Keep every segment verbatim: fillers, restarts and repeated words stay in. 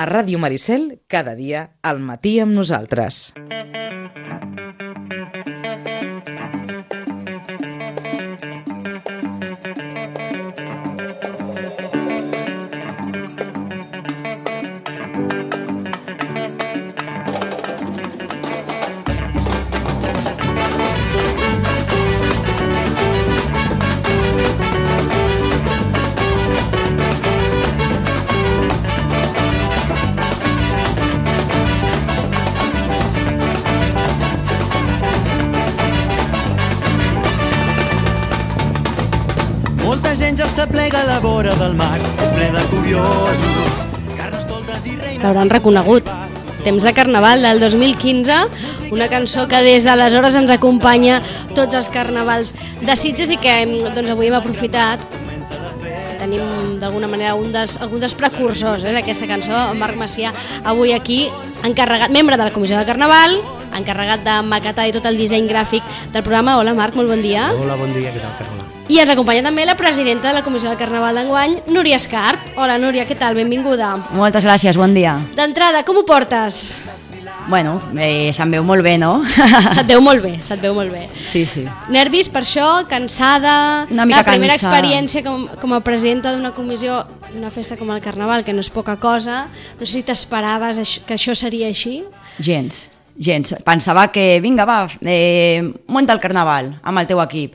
A Ràdio Maricel, cada dia, al matí amb nosaltres. Molta gent ja s'aplega a la vora del mar, és ple de curiosos, carnestoltes i reines... L'hauran reconegut. Temps de Carnaval del dos mil quinze, una cançó que des d'aleshores ens acompanya tots els carnavals de Sitges i que doncs, avui hem aprofitat. Tenim d'alguna manera un dels, algun dels precursors eh, d'aquesta cançó, Marc Macià, avui aquí, encarregat, membre de la Comissió de Carnaval, encarregat de maquetar i tot el disseny gràfic del programa. Hola Marc, molt bon dia. Hola, bon dia, què tal, Carola? I ens acompanya també la presidenta de la Comissió de Carnaval d'enguany, Núria Escarp. Hola Núria, què tal? Benvinguda. Moltes gràcies, bon dia. D'entrada, com ho portes? Bueno, eh, se'm veu molt bé, no? Se't veu molt bé, se't veu molt bé. Sí, sí. Nervis per això, cansada... Una mica la primera cansada. experiència com, com a presidenta d'una comissió d'una festa com el Carnaval, que no és poca cosa. No sé si t'esperaves això, que això seria així. Gens, gens. Pensava que, vinga, va, eh, munta el Carnaval amb el teu equip.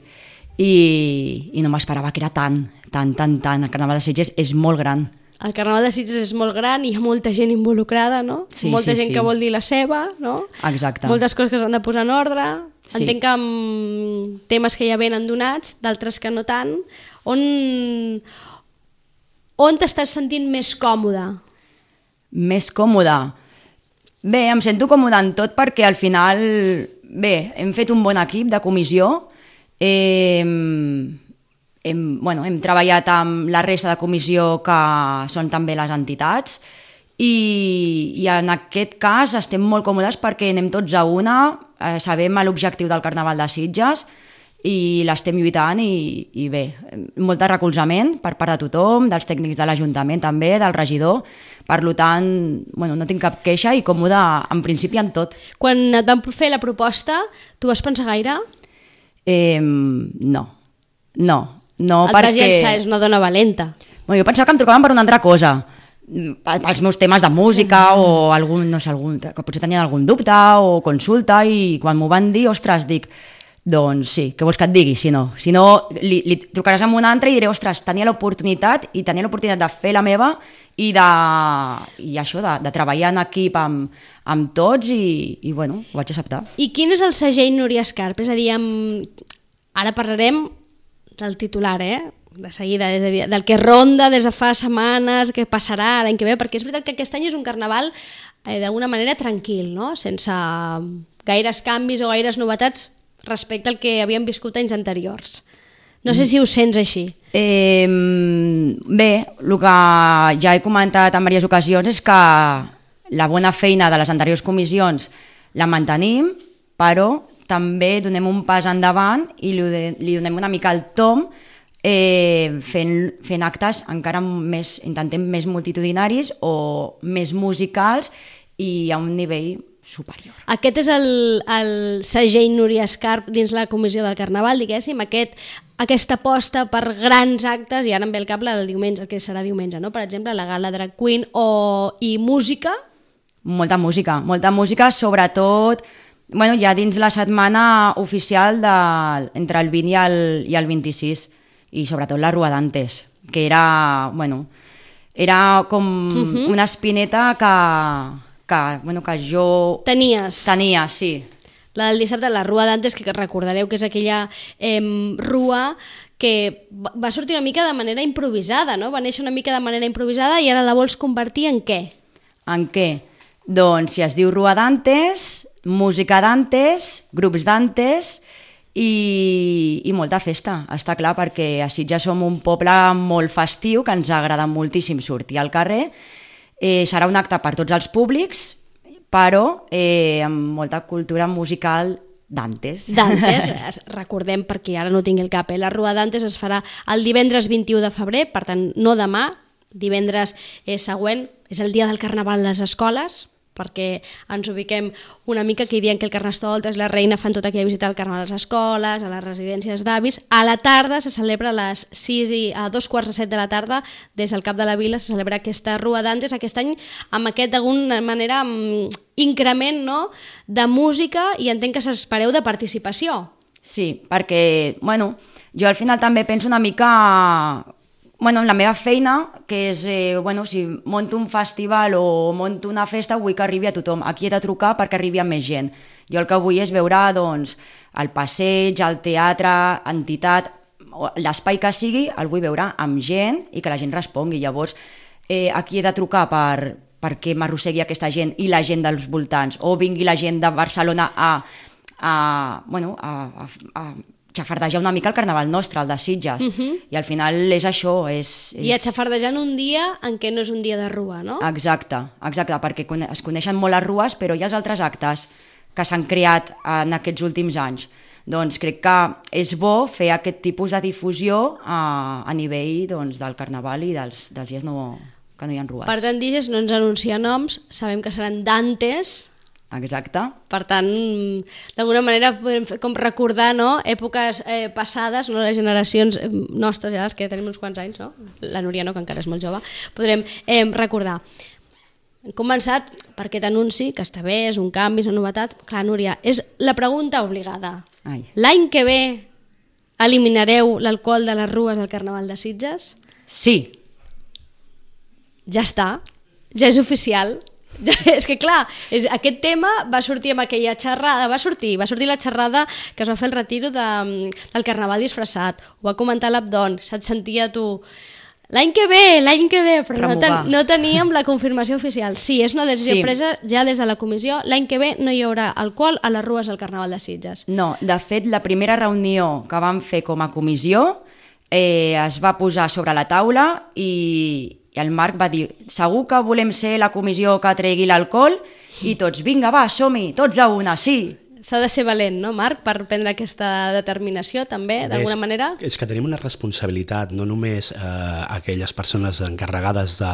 I, i no m'esperava que era tant, tant, tant, tant. El Carnaval de Sitges és molt gran. El Carnaval de Sitges és molt gran i hi ha molta gent involucrada, no? Sí, molta sí, gent sí. que vol dir la seva, no? Exacte. Moltes coses que s'han de posar en ordre. Sí. Entenc que amb temes que ja venen donats, d'altres que no tant. On, on t'estàs sentint més còmode? Més còmode? Bé, em sento còmode en tot perquè al final, bé, hem fet un bon equip de comissió. Eh, hem, bueno, hem treballat amb la resta de comissió que són també les entitats i, i en aquest cas estem molt còmodes perquè anem tots a una, eh, sabem l'objectiu del Carnaval de Sitges i l'estem lluitant i, i bé, molt de recolzament per part de tothom, dels tècnics de l'Ajuntament també, del regidor, per tant, bueno, no tinc cap queixa i còmode en principi en tot. Quan et van fer la proposta, tu vas pensar gaire? Eh, no, no, no et perquè... vas llançar, és una dona valenta. Bueno, jo pensava que em trucaven per una altra cosa, pels meus temes de música mm. o algun, no sé, algun, que potser tenien algun dubte o consulta i quan m'ho van dir, ostres, dic, doncs sí, què vols que et digui, si no? Si no, li, li trucaràs amb un altre i diré, ostres, tenia l'oportunitat i tenia l'oportunitat de fer la meva i, de, i això, de, de treballar en equip amb, amb tots i, i bueno, ho vaig acceptar. I quin és el segell Núria Escarp? És a dir, amb... ara parlarem del titular, eh? De seguida, és a dir, del que ronda des de fa setmanes, què passarà l'any que ve, perquè és veritat que aquest any és un carnaval eh, d'alguna manera tranquil, no? Sense gaires canvis o gaires novetats respecte al que havíem viscut anys anteriors. No sé si ho sents així. Eh, bé, el que ja he comentat en diverses ocasions és que la bona feina de les anteriors comissions la mantenim, però també donem un pas endavant i li, li donem una mica el tom eh, fent, fent actes encara més, intentem més multitudinaris o més musicals i a un nivell superior. Aquest és el, el segell Núria Escarp dins la comissió del Carnaval, diguéssim, aquest, aquesta aposta per grans actes, i ara em ve el cap la del diumenge, el que serà diumenge, no? Per exemple, la gala Drag Queen o, i música. Molta música, molta música, sobretot bueno, ja dins la setmana oficial de, entre el vint i el, i el vint-i-sis, i sobretot la Rua d'Antes, que era, bueno, era com uh-huh. una espineta que... Que, bueno, que jo... Tenies. Tenia, sí. La del dissabte, la Rua d'Antes, que recordareu que és aquella eh, rua que va sortir una mica de manera improvisada, no? Va néixer una mica de manera improvisada i ara la vols convertir en què? En què? Doncs si es diu Rua d'Antes, música d'Antes, grups d'Antes i, i molta festa, està clar, perquè a Sitges som un poble molt festiu, que ens agrada moltíssim sortir al carrer. Eh, serà un acte per tots els públics, però eh, amb molta cultura musical d'Antes. D'Antes, recordem, perquè ara no tingui el cap, eh? La Rua d'Antes es farà el divendres vint-i-u de febrer, per tant, no demà, divendres eh, següent és el dia del Carnaval a les escoles, perquè ens ubiquem una mica que diuen que el Carnestoltes i la Reina fan tota aquella visita al Carnaval a les escoles, a les residències d'avis. A la tarda se celebra a les sis i a dos quarts de set de la tarda, des del Cap de la Vila se celebra aquesta Rua d'Antes, aquest any amb aquest d'alguna manera increment, no?, de música, i entenc que s'espereu de participació. Sí, perquè, bueno, jo al final també penso una mica... Bueno, en la meva feina, que és, eh, bueno, si monto un festival o monto una festa, vull que arribi a tothom. Aquí he de trucar perquè arribi a més gent. Jo el que vull és veure, doncs, el passeig, el teatre, entitat, l'espai que sigui, el vull veure amb gent i que la gent respongui. Llavors, eh, aquí he de trucar per, perquè m'arrossegui aquesta gent i la gent dels voltants, o vingui la gent de Barcelona a, a, bueno, a, a, a xafardejar una mica el carnaval nostre, el de Sitges. Uh -huh. I al final és això. És, és... I a xafardejar en un dia en què no és un dia de rua, no? Exacte, exacte, perquè es coneixen molt les rues, però hi ha els altres actes que s'han creat en aquests últims anys. Doncs crec que és bo fer aquest tipus de difusió a, a nivell, doncs, del carnaval i dels, dels dies no, que no hi ha rues. Per tant, Diges no ens anuncia noms, sabem que seran d'antes. Exacte. Per tant, d'alguna manera podem fer com recordar, no?, èpoques eh, passades, no?, les generacions nostres, ja les que tenim uns quants anys, no? La Núria no, que encara és molt jove, podrem eh, recordar. Hem començat per aquest anunci, que està bé, és un canvi, és una novetat. Clar, Núria, és la pregunta obligada. Ai. L'any que ve eliminareu l'alcohol de les rues del Carnaval de Sitges? Sí. Ja està, ja és oficial. Ja, és que clar, és, aquest tema va sortir amb aquella xerrada, va sortir, va sortir la xerrada que es va fer el retiro de, del Carnaval disfressat, ho va comentar l'Abdon, se't sentia tu, l'any que ve, l'any que ve, però no, ten, no teníem la confirmació oficial. Sí, és una decisió sí. presa ja des de la comissió, l'any que ve no hi haurà alcohol a les rues del Carnaval de Sitges. No, de fet, la primera reunió que vam fer com a comissió eh, es va posar sobre la taula i... I el Marc va dir, segur que volem ser la comissió que tregui l'alcohol? I tots, vinga, va, som-hi, tots a una, sí. S'ha de ser valent, no, Marc, per prendre aquesta determinació, també, d'alguna manera? És que tenim una responsabilitat, no només eh, aquelles persones encarregades de,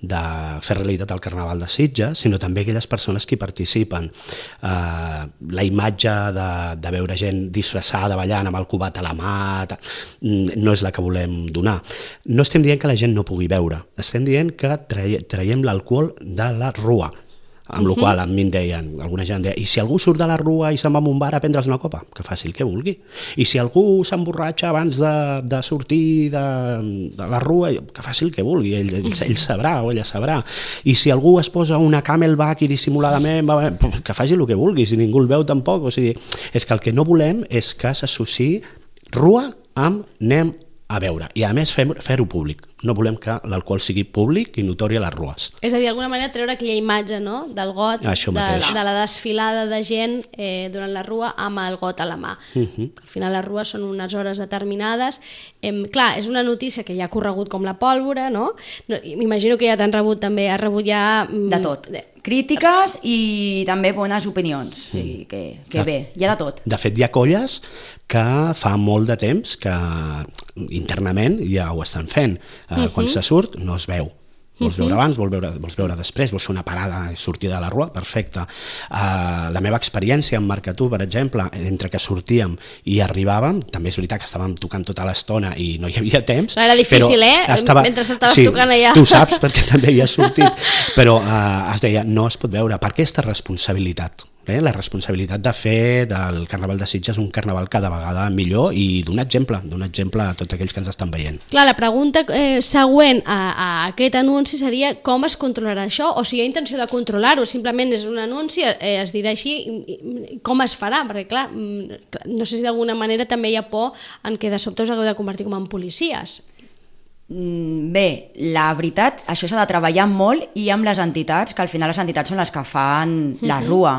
de fer realitat el Carnaval de Sitges, sinó també aquelles persones que hi participen. Eh, la imatge de, de veure gent disfressada, ballant, amb el cubat a la mà, no és la que volem donar. No estem dient que la gent no pugui beure, estem dient que traiem l'alcohol de la rua. Amb la qual a mi em deien, alguna gent deia, i si algú surt de la rua i se'n va a un bar a prendre's una copa? Que faci el que vulgui. I si algú s'emborratxa abans de, de sortir de, de la rua, que faci el que vulgui, ell, ell, ell sabrà o ella sabrà. I si algú es posa una camelback i dissimuladament, va, que faci el que vulgui, si ningú el veu tampoc. O sigui, és que el que no volem és que s'associï rua amb anem a veure, i a més fer-ho públic. No volem que l'alcohol sigui públic i notori a les rues. És a dir, d'alguna manera treure aquella imatge, no?, del got, de, de la desfilada de gent eh, durant la rua amb el got a la mà. Uh -huh. Al final les rues són unes hores determinades. Eh, clar, és una notícia que ja ha corregut com la pólvora, no? no M'imagino que ja t'han rebut també, has rebut ja... De tot. De... Crítiques i també bones opinions. Mm. I que, que de, bé, hi ha de tot. De fet, hi ha colles que fa molt de temps que internament ja ho estan fent. Uh, uh-huh. Quan se surt no es veu. Vols veure abans, vols veure, vols veure després, vols fer una parada i sortir de la rua? Perfecte. Uh, la meva experiència amb Marcatú, per exemple, entre que sortíem i arribàvem, també és veritat que estàvem tocant tota l'estona i no hi havia temps. Era difícil, eh? Estava... Mentre estaves sí, tocant allà. Tu saps, perquè també hi has sortit. Però uh, es deia, no es pot veure. Per aquesta responsabilitat? Eh? La responsabilitat de fer del Carnaval de Sitges un carnaval cada vegada millor i d'un exemple, d'un exemple a tots aquells que ens estan veient. Clar, la pregunta eh, següent a, a aquest anunci seria com es controlarà això, o si hi ha intenció de controlar-ho, simplement és un anunci, eh, es dirà així, i, i com es farà, perquè clar, no sé si d'alguna manera també hi ha por en què de sobte us hagueu de convertir com en policies. Bé, la veritat, això s'ha de treballar molt i amb les entitats, que al final les entitats són les que fan la rua.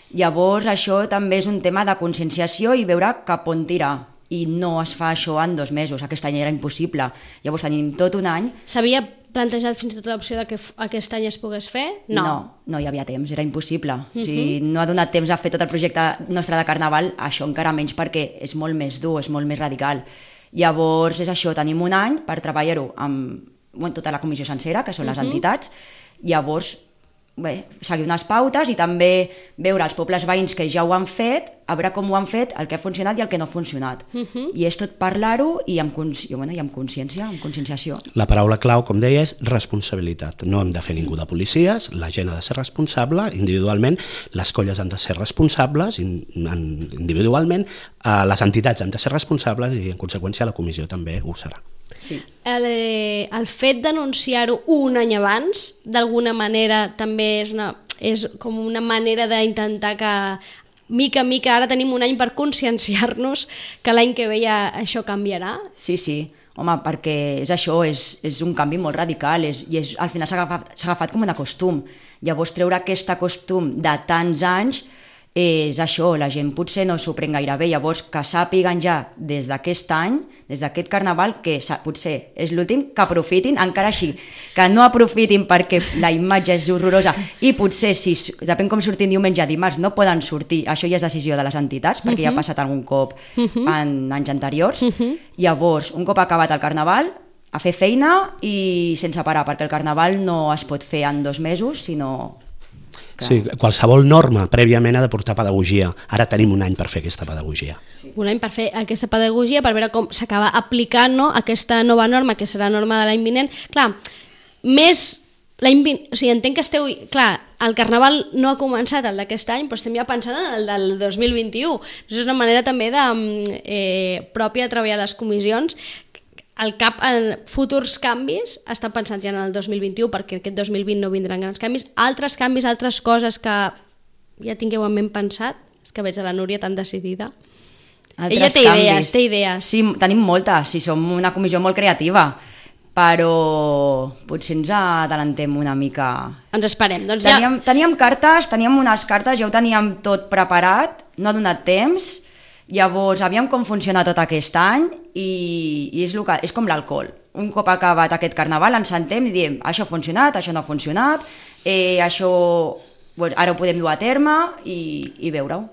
Llavors això també és un tema de conscienciació i veure cap on tirar, i no es fa això en dos mesos, aquest any era impossible, llavors tenim tot un any. S'havia plantejat fins i tot l'opció de que aquest any es pogués fer? No, no, no hi havia temps, era impossible. Uh -huh. Si no ha donat temps a fer tot el projecte nostre de Carnaval, això encara menys, perquè és molt més dur, és molt més radical. Llavors és això, tenim un any per treballar-ho amb bueno, tota la comissió sencera, que són les entitats, llavors bé, seguir unes pautes i també veure els pobles veïns que ja ho han fet, a veure com ho han fet, el que ha funcionat i el que no ha funcionat. Uh-huh. I és tot parlar-ho i amb, consci... bueno, i amb consciència, amb conscienciació. La paraula clau, com deia, és responsabilitat. No hem de fer ningú de policies, la gent ha de ser responsable individualment, les colles han de ser responsables individualment, les entitats han de ser responsables i, en conseqüència, la comissió també ho serà. Sí. El, el fet d'anunciar-ho un any abans, d'alguna manera, també és, una, és com una manera d'intentar que, mica en mica, ara tenim un any per conscienciar-nos que l'any que ve ja això canviarà? Sí, sí. Home, perquè és això, és, és un canvi molt radical és, i és, al final s'ha agafat, s'ha agafat com un costum. Llavors, treure aquest costum de tants anys és això, la gent potser no s'ho pren gaire bé, llavors que sàpiguen ja des d'aquest any, des d'aquest carnaval, que potser és l'últim, que aprofitin, encara així, que no aprofitin perquè la imatge és horrorosa i potser, si depèn com surtin diumenge, dimarts, no poden sortir, això ja és decisió de les entitats, perquè uh-huh. ja ha passat algun cop uh-huh. en anys anteriors, uh-huh. llavors, un cop acabat el carnaval, a fer feina i sense parar, perquè el carnaval no es pot fer en dos mesos, sinó... Que... Sí, qualsevol norma prèviament ha de portar pedagogia. Ara tenim un any per fer aquesta pedagogia. Sí. Un any per fer aquesta pedagogia, per veure com s'acaba aplicant, no, aquesta nova norma, que serà norma de l'any vinent. Clar, més... L'any vint... O sigui, entenc que esteu... Clar, el carnaval no ha començat el d'aquest any, però estem ja pensant en el del dos mil vint-i-u. Això és una manera també de, eh, pròpia de treballar les comissions. El cap, en futurs canvis estan pensats ja en el dos mil vint-i-u, perquè aquest dos mil vint no vindran grans canvis. Altres canvis, altres coses que ja tingueu en ment pensat, és que veig a la Núria tan decidida. Altres Ella té canvis. idees, té idees. Sí, tenim moltes, sí, som una comissió molt creativa, però potser ens adelantem una mica. Ens esperem. Doncs ja... teníem, teníem cartes, teníem unes cartes, ja ho teníem tot preparat, no ha donat temps. Llavors, aviam com funciona tot aquest any i, i és, que, és com l'alcohol. Un cop acabat aquest carnaval ens sentem i diem això ha funcionat, això no ha funcionat, eh, això bueno, ara ho podem dur a terme i, i veure-ho.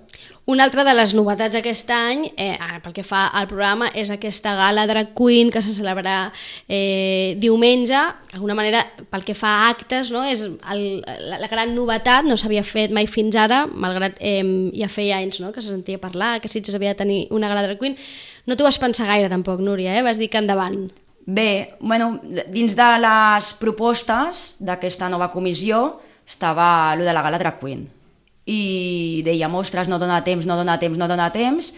Una altra de les novetats d'aquest any, eh, pel que fa al programa, és aquesta gala Drag Queen que se celebrarà eh, diumenge. D'alguna manera, pel que fa a actes, no? És el, la, la gran novetat, no s'havia fet mai fins ara, malgrat eh, ja feia anys, no? Que se sentia parlar, que Sitges havia de tenir una gala Drag Queen. No t'ho vas pensar gaire tampoc, Núria, eh? Vas dir que endavant. Bé, bueno, dins de les propostes d'aquesta nova comissió estava allò de la gala Drag Queen. I dèiem, ostres, no dona temps, no dona temps, no dona temps,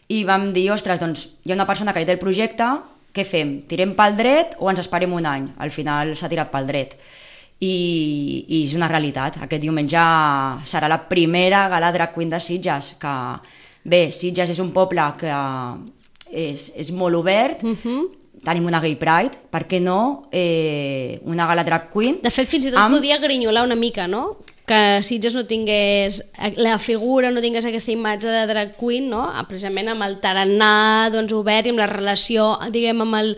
i vam dir, ostres, doncs hi ha una persona que té el projecte, què fem? Tirem pel dret o ens esperem un any? Al final s'ha tirat pel dret. I, i és una realitat. Aquest diumenge serà la primera gala Drag Queen de Sitges, que bé, Sitges és un poble que és, és molt obert, uh-huh. Tenim una Gay Pride, per què no eh, una gala Drag Queen? De fet, fins i tot amb... podia grinyolar una mica, no? Que Sitges no tingués la figura, no tingués aquesta imatge de drag queen, no? Precisament amb el tarannà doncs, obert i amb la relació, diguem, amb el,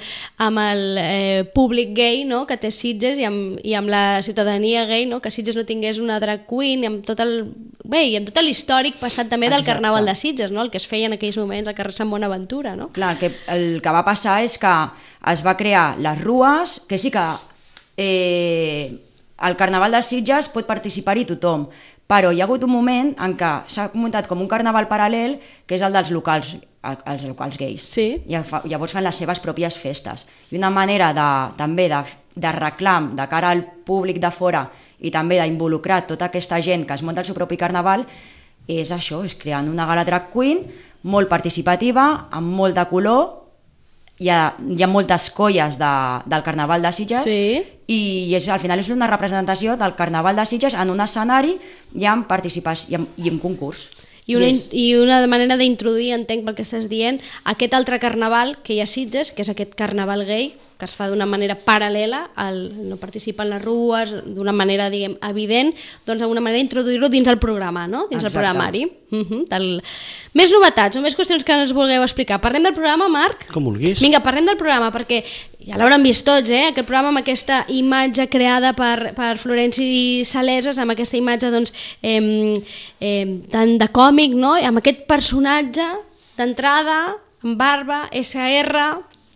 amb el eh, públic gay, no? Que té Sitges i amb, i amb la ciutadania gay, no? Que Sitges no tingués una drag queen i amb tot el, bé, i amb tot l'històric passat també del Exacte. Carnaval de Sitges, no? El que es feia en aquells moments al carrer Sant Bonaventura, no? Clar, que el que va passar és que es va crear les rues, que sí que eh, al Carnaval de Sitges pot participar-hi tothom, però hi ha hagut un moment en què s'ha muntat com un carnaval paral·lel, que és el dels locals, els locals gais. Sí. I llavors fan les seves pròpies festes. I una manera de, també de, de reclam de cara al públic de fora i també d'involucrar tota aquesta gent que es munta el seu propi carnaval és això, és creant una gala drag queen molt participativa, amb molt de color. Hi ha, hi ha moltes colles de, del Carnaval de Sitges, sí. I és, al final és una representació del Carnaval de Sitges en un escenari i en participació i en, i en concurs. I una, yes. I una manera d'introduir, entenc pel que estàs dient, aquest altre carnaval que hi ha a Sitges, que és aquest carnaval gay, que es fa d'una manera paral·lela, el, no participa en les rues, d'una manera, diguem, evident, doncs d'alguna manera introduir-lo dins el programa, no? Dins Exacte. El programari. Uh-huh, del... Més novetats o més qüestions que ens vulgueu explicar. Parlem del programa, Marc? Com vulguis. Vinga, parlem del programa, perquè ja l'hauran vist tots, eh? Aquest programa amb aquesta imatge creada per, per Florenci Saleses, amb aquesta imatge, doncs, eh, eh, tant de còmic, no? Amb aquest personatge d'entrada, amb barba, esse erre...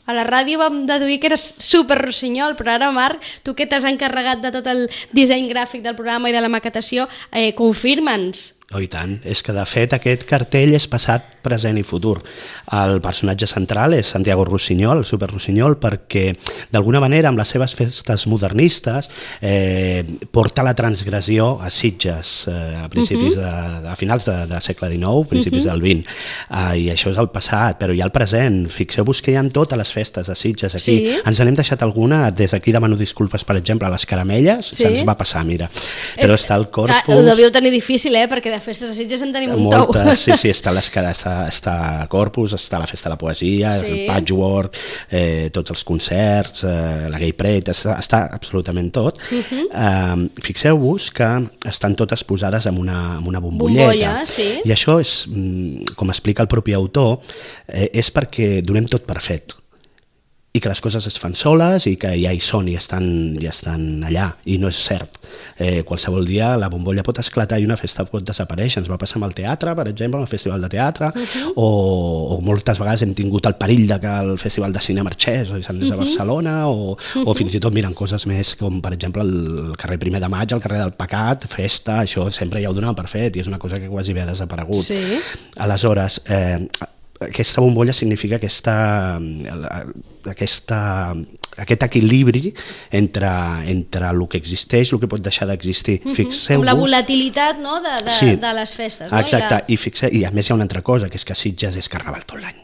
A la ràdio vam deduir que eres super rossinyol, però ara, Marc, tu que t'has encarregat de tot el disseny gràfic del programa i de la maquetació, eh, confirma'ns. Oh, i tant. És que, de fet, aquest cartell és passat, present i futur. El personatge central és Santiago Rossinyol, el super Rossinyol, perquè, d'alguna manera, amb les seves festes modernistes, eh, porta la transgressió a Sitges, eh, a principis uh -huh. de, a finals de, de segle dinou, principis uh -huh. del vint. Uh, I això és el passat, però hi ha el present. Fixeu-vos que hi ha totes les festes de Sitges aquí. Sí. Ens n'hem deixat alguna, des d'aquí demano disculpes, per exemple, a les caramelles, sí. se'ns va passar, mira. Però és, està el Corpus... Ho devíeu tenir difícil, eh? Perquè de festes de Sitges en tenim un tou. Sí, sí, està, està, està Corpus, està la Festa de la Poesia, sí. el Patchwork, eh, tots els concerts, eh, la Gay Parade, està, està absolutament tot. Uh -huh. eh, Fixeu-vos que estan totes posades en una, en una bombolleta. Bombolla, sí. I això és, com explica el propi autor, eh, és perquè donem tot per fet. I que les coses es fan soles i que ja hi són i estan, ja estan allà, i no és cert. Eh, qualsevol dia la bombolla pot esclatar i una festa pot desaparèixer. Ens va passar amb el teatre, per exemple, amb el Festival de Teatre, uh-huh. o, o moltes vegades hem tingut el perill de que el Festival de Cine marxés o hi s'anés uh-huh. a Barcelona, o, uh-huh. o fins i tot miren coses més com, per exemple, el carrer Primer de Maig, el carrer del Pecat, festa, això sempre ja ho donaven per fet i és una cosa que quasi bé ha desaparegut. Sí. Aleshores, eh, aquesta bombolla significa aquesta, aquesta, aquest equilibri entre, entre el que existeix i el que pot deixar d'existir. Uh-huh. Fixeu-vos... Com la volatilitat, no?, de, de, sí. de les festes. No? Exacte, I, la... I, fixe... i a més hi ha una altra cosa, que és que Sitges és carnaval tot l'any.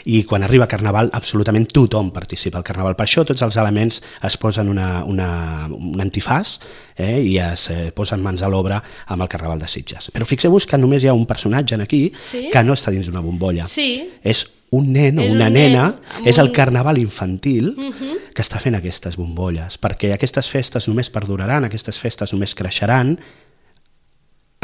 I quan arriba Carnaval, absolutament tothom participa al Carnaval. Per això tots els elements es posen una, una, un antifàs eh, i es eh, posen mans a l'obra amb el Carnaval de Sitges. Però fixeu-vos que només hi ha un personatge aquí sí? que no està dins d'una bombolla. Sí. És un nen o és una un nena, nen és el un... Carnaval infantil uh-huh. que està fent aquestes bombolles, perquè aquestes festes només perduraran, aquestes festes només creixeran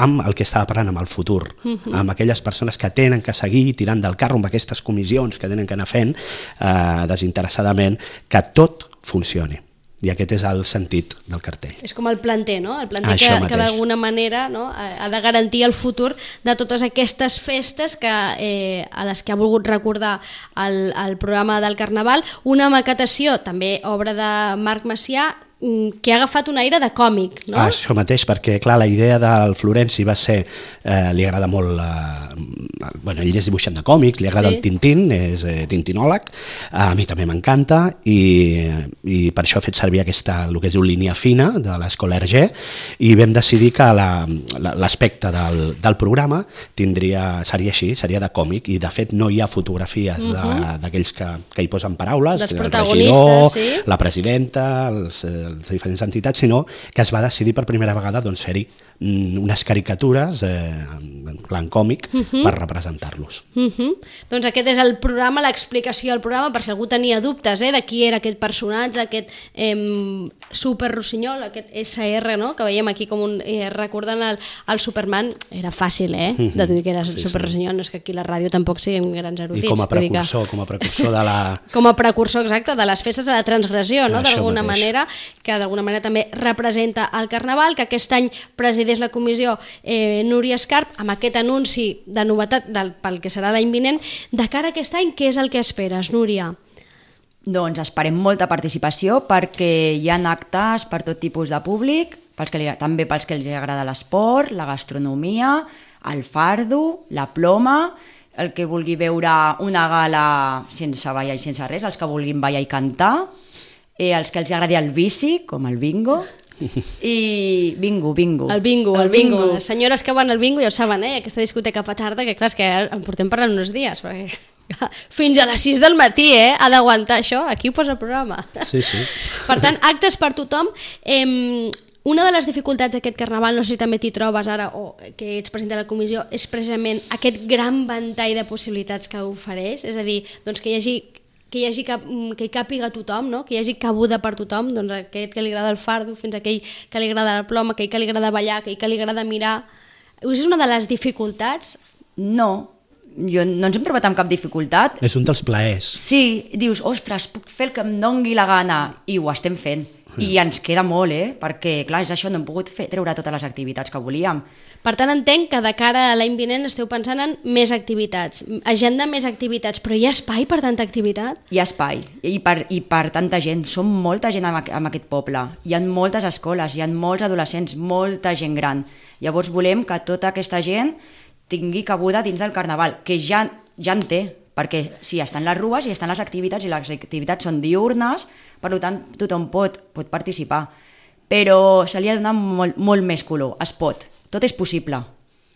amb el que estava parlant, amb el futur, uh-huh. amb aquelles persones que tenen que seguir tirant del carro, amb aquestes comissions que tenen que anar fent eh, desinteressadament, que tot funcioni. I aquest és el sentit del cartell. És com el planter, no? El planter Això que, que d'alguna manera no, ha de garantir el futur de totes aquestes festes que, eh, a les que ha volgut recordar el, el programa del Carnaval. Una maquetació, també obra de Marc Macià, que ha agafat un aire de còmic, no? Ah, això mateix, perquè clar, la idea del Florenci va ser, eh, li agrada molt, eh, bueno, ell és dibuixant de còmics, li agrada sí. el Tintín, és eh, tintinòleg, a mi també m'encanta i, i per això ha fet servir aquesta, el que es diu línia fina de l'escola Hergé, i vam decidir que l'aspecte del, del programa tindria, seria així, seria de còmic, i de fet no hi ha fotografies uh-huh. d'aquells que, que hi posen paraules, dels el protagonistes, regidor, sí. la presidenta, els les diferents entitats, sinó que es va decidir per primera vegada doncs, fer-hi unes caricatures eh, en plan còmic uh-huh. per representar-los. Uh-huh. Doncs aquest és el programa, l'explicació del programa, per si algú tenia dubtes eh, de qui era aquest personatge, aquest eh, super Rossinyol, aquest essa erre, no? Que veiem aquí com un... Eh, recordant el, el Superman, era fàcil, eh? Uh-huh. De dir que era sí, super Rossinyol, no és que aquí a la ràdio tampoc siguin grans erudits. I com a precursor, que... com a precursor de la... Com a precursor, exacte, de les festes de la transgressió, no? D'alguna manera, que d'alguna manera també representa el Carnaval, que aquest any presideix la comissió eh, Núria Escarp, amb aquest anunci de novetat del, pel que serà l'any vinent. De cara a aquest any, què és el que esperes, Núria? Doncs esperem molta participació perquè hi ha actes per tot tipus de públic, pels que li, també pels que els agrada l'esport, la gastronomia, el fardo, la ploma, el que vulgui veure una gala sense ballar i sense res, els que vulguin ballar i cantar, eh, els que els agradi el bici, com el bingo, i bingo, bingo. El bingo, el, el bingo. bingo. Les senyores que van al bingo ja ho saben, eh? Aquesta discoteca petarda, que clar, és que en portem parlant uns dies, perquè fins a les sis del matí, eh? Ha d'aguantar això, aquí ho posa el programa. Sí, sí. Per tant, actes per tothom. Eh, una de les dificultats d'aquest Carnaval, no sé si també t'hi trobes ara o que ets president de la comissió, és precisament aquest gran ventall de possibilitats que ofereix, és a dir, doncs que hi hagi que hi hagi cap, que hi càpiga tothom, no? Que hi hagi cabuda per tothom, doncs aquest que li agrada el fardo, fins a aquell que li agrada la ploma, aquell que li agrada ballar, aquell que li agrada mirar. És una de les dificultats? No, jo no ens hem trobat amb cap dificultat. És un dels plaers. Sí, dius, ostres, puc fer el que em dongui la gana, i ho estem fent. I ens queda molt, eh? Perquè, clar, és això, no hem pogut fer, treure totes les activitats que volíem. Per tant, entenc que de cara a l'any vinent esteu pensant en més activitats, agenda més activitats, però hi ha espai per tanta activitat? Hi ha espai, i per, i per tanta gent, som molta gent en, en aquest poble, hi ha moltes escoles, hi ha molts adolescents, molta gent gran. Llavors volem que tota aquesta gent tingui cabuda dins del carnaval, que ja, ja en té, perquè sí, estan les rues i estan les activitats, i les activitats són diurnes, per tant tothom pot, pot participar, però se li ha de donar molt, molt més color, es pot, tot és possible.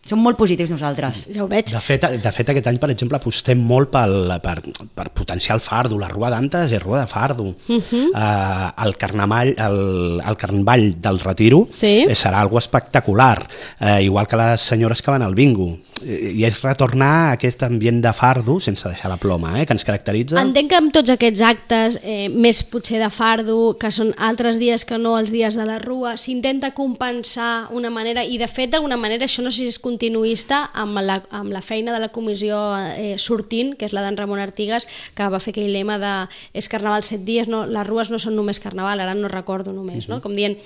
Som molt positius nosaltres. Ja ho veig. De fet, de fet aquest any, per exemple, apostem molt pel, per, per potenciar el fardo. La Rua d'Antes és Rua de fardo. Uh -huh. uh, el, carnaval, el, el carnaval del Retiro sí. serà algo espectacular, uh, igual que les senyores que van al bingo. I és retornar a aquest ambient de fardo sense deixar la ploma, eh, que ens caracteritza. Entenc que amb tots aquests actes, eh, més potser de fardo, que són altres dies que no els dies de la Rua, s'intenta compensar una manera, i de fet d'alguna manera això no sé si és continuista amb la, amb la feina de la comissió eh, sortint, que és la d'en Ramon Artigas, que va fer aquell lema de és carnaval set dies, no, les rues no són només carnaval, ara no recordo només, no? Com dient,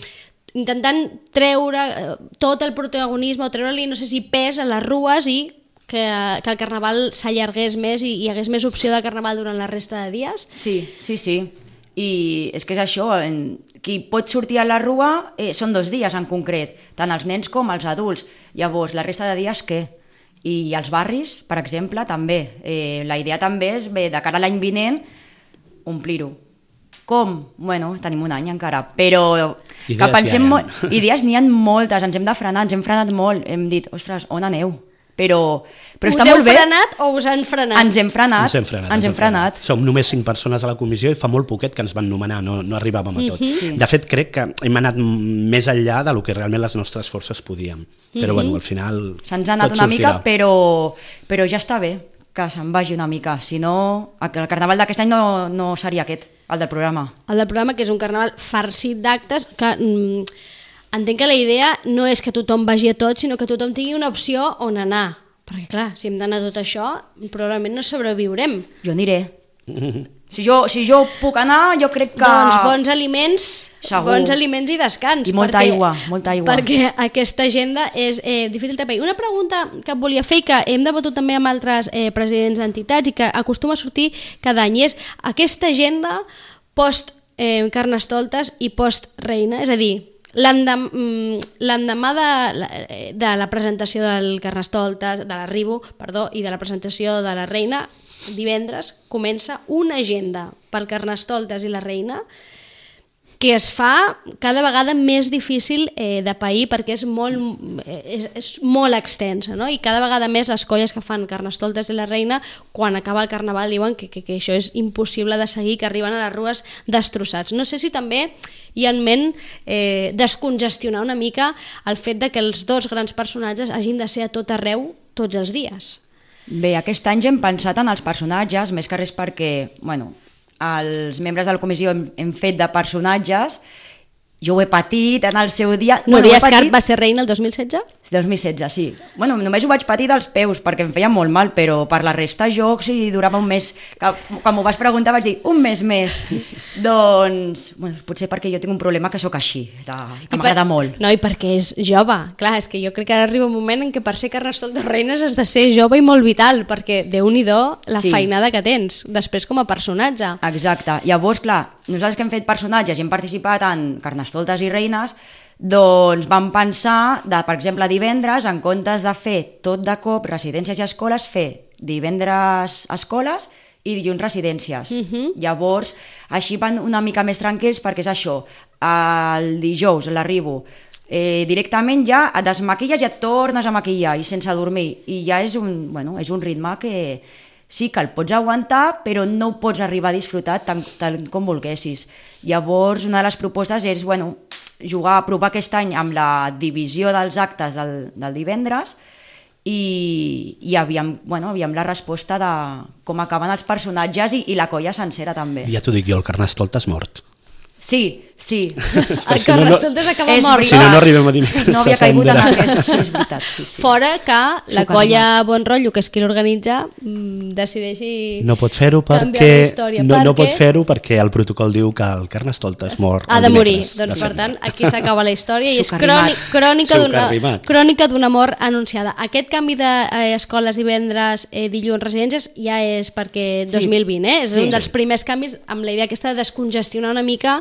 intentant treure tot el protagonisme o treure-li, no sé si pes a les rues i que, que el carnaval s'allargués més i hi hagués més opció de carnaval durant la resta de dies. Sí, sí, sí. I és que és això, en, qui pot sortir a la Rua eh, són dos dies en concret, tant els nens com els adults. Llavors, la resta de dies què? I els barris, per exemple, també. Eh, la idea també és, bé, de cara a l'any vinent, omplir-ho. Com? Bueno, tenim un any encara, però idees que pensem ja hi molt, idees n'hi ha moltes, ens hem de frenar, ens hem frenat molt, hem dit, ostres, on aneu? Però, però us està heu molt bé. frenat o us han frenat? Ens hem frenat. Ens hem frenat. Ens hem frenat. Som només cinc persones a la comissió i fa molt poquet que ens van nomenar, no, no arribàvem a tot. Sí. De fet, crec que hem anat més enllà de lo que realment les nostres forces podíem. Però bueno, al final se'ns ha anat tot una sortirà. mica, però, però ja està bé que se'n vagi una mica. Si no, el carnaval d'aquest any no, no seria aquest, el del programa. El del programa, que és un carnaval farcit d'actes, que mm, entenc que la idea no és que tothom vagi a tot, sinó que tothom tingui una opció on anar. Perquè clar, si hem d'anar a tot això, probablement no sobreviurem. Jo aniré. Si jo, si jo puc anar, jo crec que... Doncs bons aliments, Segur. bons aliments i descans. I molta perquè, aigua, molta aigua. Perquè aquesta agenda és eh, difícil de pair. Una pregunta que et volia fer i que hem debatut també amb altres eh, presidents d'entitats i que acostuma a sortir cada any, és aquesta agenda post eh, Carnestoltes i post Reina, és a dir, l'endemà de, de la presentació del Carnestoltes, de l'arribo, perdó, i de la presentació de la Reina, divendres comença una agenda pel Carnestoltes i la Reina que es fa cada vegada més difícil eh, de pair perquè és molt, és, és molt extensa, no? I cada vegada més les colles que fan Carnestoltes i la Reina, quan acaba el Carnaval diuen que, que, que això és impossible de seguir, que arriben a les rues destrossats. No sé si també hi ha en ment eh, descongestionar una mica el fet de que els dos grans personatges hagin de ser a tot arreu tots els dies. Bé, aquest any ja hem pensat en els personatges, més que res perquè, bueno, els membres de la comissió hem, hem fet de personatges, jo ho he patit en el seu dia... Núria bueno, Escarp va ser reina el dos mil setze? dos mil setze, sí. Bueno, només ho vaig patir dels peus perquè em feia molt mal, però per la resta jo, si durava un mes... Que, quan m'ho vas preguntar vaig dir, un mes més. Doncs, bueno, potser perquè jo tinc un problema que sóc així, de, que m'agrada molt. No, i perquè és jove. Clar, és que jo crec que ara arriba un moment en què per ser Carnestoltes Reines has de ser jove i molt vital, perquè Déu-n'hi-do la Sí. feinada que tens, després com a personatge. Exacte. Llavors, clar, nosaltres que hem fet personatges i hem participat en Carnestoltes i Reines, doncs vam pensar, de, per exemple, divendres, en comptes de fer tot de cop residències i escoles, fer divendres escoles i dilluns residències. Mhm. Llavors, així van una mica més tranquils perquè és això, el dijous l'arribo, eh, directament ja et desmaquilles i et tornes a maquillar i sense dormir, i ja és un, bueno, és un ritme que sí que el pots aguantar, però no ho pots arribar a disfrutar tant, tant com volguessis. Llavors, una de les propostes és, bueno, jugar a provar aquest any amb la divisió dels actes del, del divendres i, i aviam, bueno, aviam la resposta de com acaben els personatges i, i la colla sencera també. Ja t'ho dic jo, el Carnestoltes mort. Sí, Sí. El Si no, no- Carnestoltes acaba és mort. Si no, no arribem a dir. No havia caigut en aquest, sí, és veritat. Sí, sí. Fora que la Suc colla animat. Bon Rotllo, que és qui l'organitza, mm, decideixi No pot fer-ho canviar perquè, la història. no, no perquè pot fer-ho perquè el protocol diu que el Carnestoltes mor ha el de morir. dimecres, Doncs, de per sempre. tant, aquí s'acaba la història i és Suc cròni, arrimat. crònica Suc d'una arrimat. crònica d'una mort anunciada. Aquest canvi d'escoles divendres, eh, dilluns, residències, ja és perquè Sí. dos mil vint, eh? És Sí. un dels primers canvis amb la idea aquesta de descongestionar una mica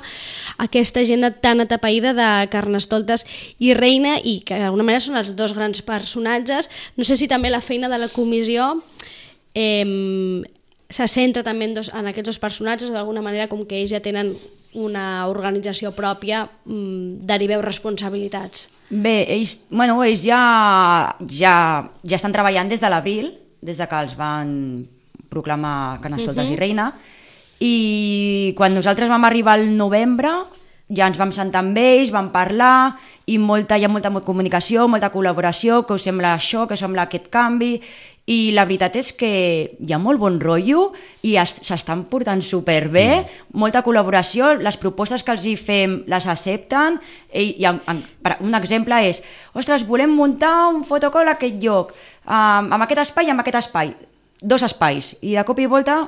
aquesta agenda tan atapeïda de Carnestoltes i Reina, i que d'alguna manera són els dos grans personatges. No sé si també la feina de la comissió eh, se centra també en, dos, en aquests dos personatges, d'alguna manera, com que ells ja tenen una organització pròpia, mmm, deriveu responsabilitats. Bé, ells, bueno, ells ja, ja, ja estan treballant des de l'abril, des de que els van proclamar Carnestoltes uh -huh. i Reina, i quan nosaltres vam arribar al novembre ja ens vam sentar amb ells, vam parlar, i molta, hi ha molta comunicació, molta col·laboració, que us sembla això, que us sembla aquest canvi, i la veritat és que hi ha molt bon rotllo i s'estan portant superbé, mm. molta col·laboració, les propostes que els hi fem les accepten, i, i en, en, un exemple és, ostres, volem muntar un fotocall a aquest lloc, um, amb aquest espai i amb aquest espai, dos espais, i de cop i volta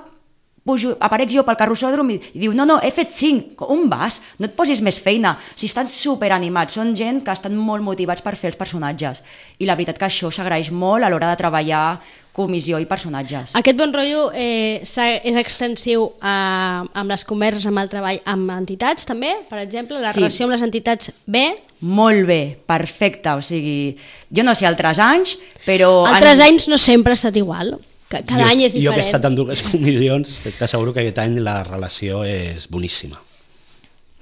pujo, aparec jo pel carrossòdrom i, i diu, no, no, he fet cinc, on vas? No et posis més feina. O sigui, estan superanimats, són gent que estan molt motivats per fer els personatges. I la veritat que això s'agraeix molt a l'hora de treballar comissió i personatges. Aquest bon rotllo eh, és extensiu a, amb les converses, amb el treball amb entitats també, per exemple, la Sí. relació amb les entitats bé. Molt bé, perfecte, o sigui, jo no sé altres anys, però... Altres en... anys no sempre ha estat igual. Cada jo, any és diferent. Jo que he estat en dues comissions, t'asseguro que aquest any la relació és boníssima.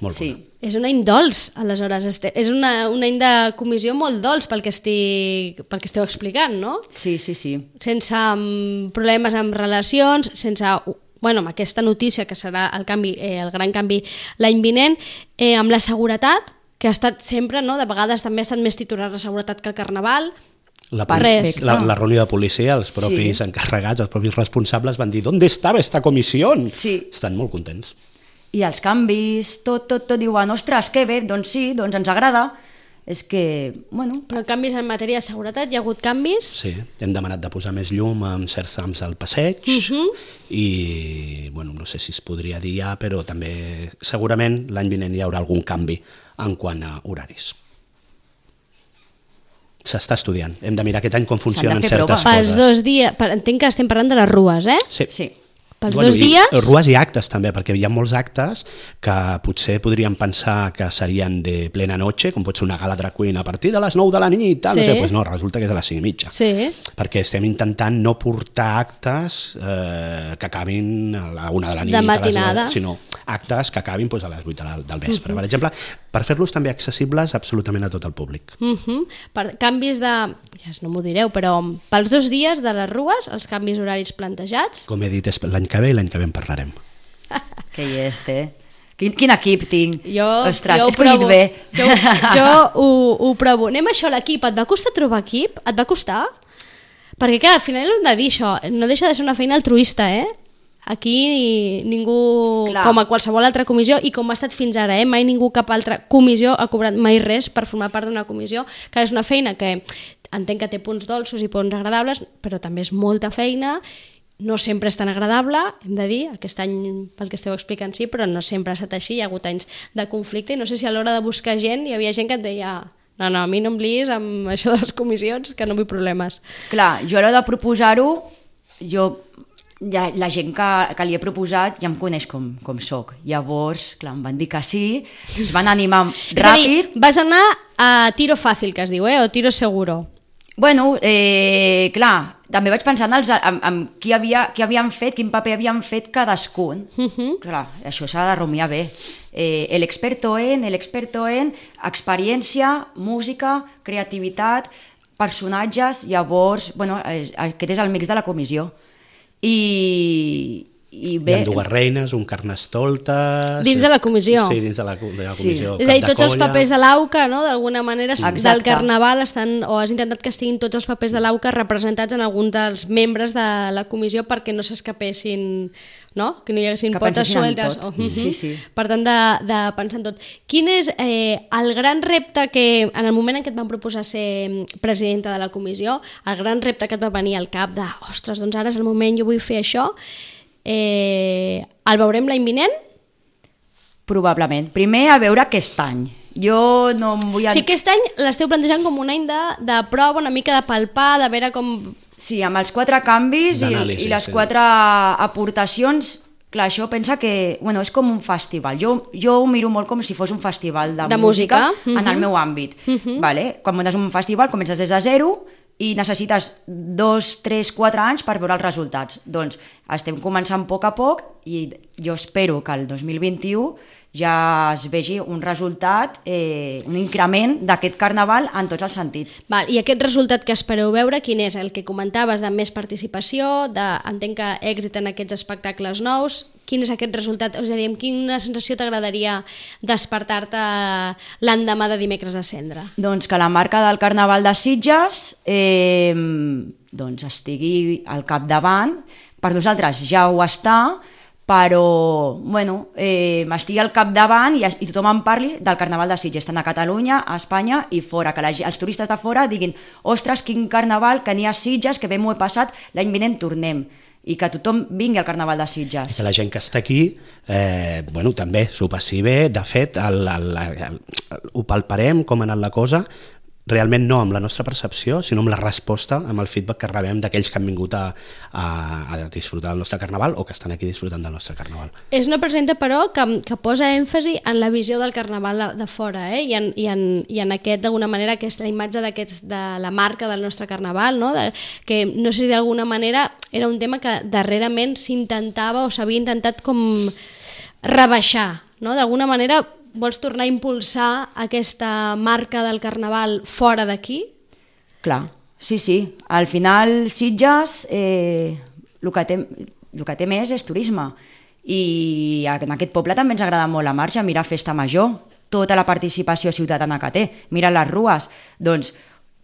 Molt Sí. bona. És un any dolç, aleshores. Este- És una, un any de comissió molt dolç pel que, estic, pel que esteu explicant, no? Sí, sí, sí. Sense um, problemes amb relacions, sense... Bueno, amb aquesta notícia que serà el, canvi, eh, el gran canvi l'any vinent, eh, amb la seguretat, que ha estat sempre, no? De vegades també ha estat més titular la seguretat que el Carnaval. La, Res. la, la reunió de policia, els propis Sí. encarregats, els propis responsables van dir ¿dónde estava esta comissió? Sí. Estan molt contents. I els canvis, tot, tot, tot diuen, ostres, que bé, doncs sí, doncs ens agrada. És que, bueno... Però canvis en matèria de seguretat, hi ha hagut canvis? Sí, hem demanat de posar més llum en certs trams al passeig Mhm. i, bueno, no sé si es podria dir ja, però també segurament l'any vinent hi haurà algun canvi en quant a horaris. S'està estudiant. Hem de mirar aquest any com funcionen fer certes proves. Pels coses. dos dies, per, entenc que estem parlant de les rues, eh? Sí. Sí. Pels dos i dies... Rues i actes també, perquè hi ha molts actes que potser podríem pensar que serien de plena noche, com pot ser una gala drag queen a partir de les nou de la nit i tal, Sí. no sé, pues no, resulta que és a les cinc i mitja. Sí. Perquè estem intentant no portar actes eh, que acabin a la una de la nit, De a les matinada. deu, sinó actes que acabin pues, a les vuit del, del vespre, uh -huh. per exemple, per fer-los també accessibles absolutament a tot el públic. Uh -huh. Per canvis de... Ja no m'ho direu, però pels dos dies de les rues, els canvis horaris plantejats... Com he dit, és l'any que ve i l'any que ve en parlarem. Que llest, eh? Quin, quin equip tinc. Jo, Ostres, jo he ho escollit provo. bé. Jo, jo ho, ho provo. Anem a això, l'equip. Et va costar trobar equip? Et va costar? Perquè, clar, al final hem de dir això. No deixa de ser una feina altruista, eh? Aquí ningú, Clar. com a qualsevol altra comissió, i com ha estat fins ara, eh? Mai ningú, cap altra comissió, ha cobrat mai res per formar part d'una comissió, que és una feina que entenc que té punts dolços i punts agradables, però també és molta feina, no sempre és tan agradable, hem de dir, aquest any pel que esteu explicant sí, però no sempre ha estat així, hi ha hagut anys de conflicte, i no sé si a l'hora de buscar gent hi havia gent que et deia no, no, a mi no em liis amb això de les comissions, que no vull problemes. Clar, jo a l'hora de proposar-ho, jo... Ja, la gent que, que li he proposat ja em coneix com, com soc. Llavors, clar, em van dir que sí, es van animar És a dir, ràpid. vas anar a tiro fàcil, que es diu, eh? O tiro seguro. Bueno, eh, clar, també vaig pensar en, els, en, en qui, havia, qui havien fet, quin paper havien fet cadascun. Uh -huh. Clar, això s'ha de rumiar bé. Eh, el experto en, el experto en, experiència, música, creativitat, personatges, llavors, bueno, eh, aquest és el mix de la comissió. I, I Hi bé, ha dues reines, un carnestoltes... Dins de la comissió. Sí, dins de la, de la Sí. comissió. És a dir, cap de tots els colla. papers de l'AUCA, no? D'alguna manera, Exacte. del Carnaval estan, o has intentat que estiguin tots els papers de l'AUCA representats en algun dels membres de la comissió perquè no s'escapessin, no? Que no hi haguessin Que potes pensessin en sueltes. tot. Oh, mhm. Sí, sí. Per tant, de, de pensar en tot. Quin és eh, el gran repte que, en el moment en què et van proposar ser presidenta de la comissió, el gran repte que et va venir al cap de, ostres, doncs ara és el moment, jo vull fer això, eh, el veurem l'any vinent? probablement. Primer, a veure aquest any. Jo no em vull... O sigui, aquest any l'esteu plantejant com un any de, de prova, una mica de palpar, de veure com... Sí, amb els quatre canvis i, D'anàlisi, i les sí. quatre aportacions, clar, això pensa que bueno, és com un festival. Jo, jo ho miro molt com si fos un festival de, De música, música, en mhm. el meu àmbit. Mhm. Vale? Quan muntes un festival comences des de zero i necessites dos, tres, quatre anys per veure els resultats. Doncs estem començant a poc a poc i jo espero que el dos mil vint-i-u ja es vegi un resultat, eh, un increment d'aquest carnaval en tots els sentits. Val, i aquest resultat que espereu veure, quin és? El que comentaves de més participació, de, entenc que èxit en aquests espectacles nous, quin és aquest resultat? És a dir, amb quina sensació t'agradaria despertar-te l'endemà de dimecres a Cendra? Doncs que la marca del Carnaval de Sitges eh, doncs estigui al capdavant. Per nosaltres ja ho està, però bueno, eh, estigui al capdavant i, i tothom en parli del Carnaval de Sitges, tant a Catalunya, a Espanya i fora, que la, els turistes de fora diguin ostres, quin carnaval que n'hi ha a Sitges, que bé m'ho he passat, l'any vinent tornem, i que tothom vingui al Carnaval de Sitges. Que la gent que està aquí eh, bueno, també s'ho passi bé. De fet, el, el, el, el, ho palparem com ha anat la cosa, realment no amb la nostra percepció, sinó amb la resposta, amb el feedback que rebem d'aquells que han vingut a, a, a disfrutar del nostre carnaval o que estan aquí disfrutant del nostre carnaval. És una presenta, però, que, que posa èmfasi en la visió del carnaval de, de fora, eh? I, en, i, en, i en aquest, d'alguna manera, que és la imatge de la marca del nostre carnaval, no? De, que no sé si d'alguna manera era un tema que darrerament s'intentava o s'havia intentat com rebaixar, no? D'alguna manera vols tornar a impulsar aquesta marca del carnaval fora d'aquí? Clar, sí, sí. Al final, Sitges, eh, el, que té, el que té més és turisme. I en aquest poble també ens agrada molt la marxa, mira Festa Major, tota la participació ciutadana que té, mira les rues. Doncs,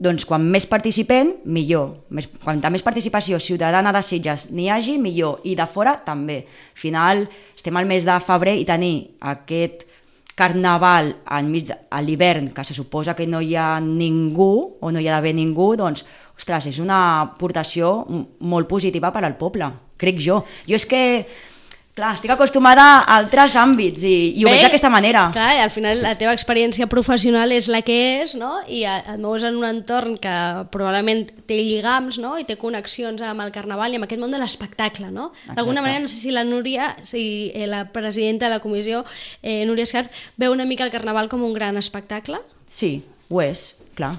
doncs quan més participem, millor. Més, quanta més participació ciutadana de Sitges n'hi hagi, millor. I de fora, també. Al final, estem al mes de febrer i tenir aquest carnaval enmig de, a l'hivern, que se suposa que no hi ha ningú o no hi ha d'haver ningú, doncs, ostres, és una aportació molt positiva per al poble, crec jo. Jo és que, clar, estic acostumada a altres àmbits i, i ho Bé, veig d'aquesta manera. Clar, i al final la teva experiència professional és la que és, no? I et mous en un entorn que probablement té lligams, no? I té connexions amb el carnaval i amb aquest món de l'espectacle, no? D'alguna manera, no sé si la Núria, si eh, la presidenta de la comissió, eh, Núria Escarp, veu una mica el carnaval com un gran espectacle? Sí, ho és, clar.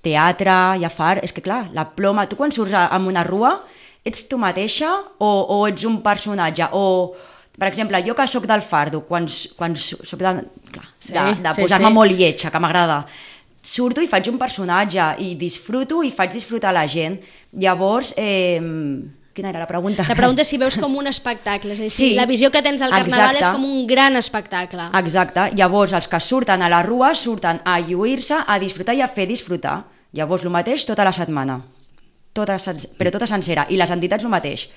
Teatre, hi ha far... És que clar, la ploma... Tu quan surts amb una rua, ets tu mateixa o, o ets un personatge? O, per exemple, jo que sóc del fardo, quan, quan sóc de, clar, Sí, de, de sí, posar-me sí. molt lletja, que m'agrada, surto i faig un personatge i disfruto i faig disfrutar la gent. Llavors, eh, quina era la pregunta? La pregunta és si veus com un espectacle, és a dir, si Sí, la visió que tens del carnaval exacte. és com un gran espectacle. Exacte, llavors els que surten a la rua surten a lluir-se, a disfrutar i a fer disfrutar. Llavors el mateix tota la setmana, tota, però tota sencera, i les entitats el mateix.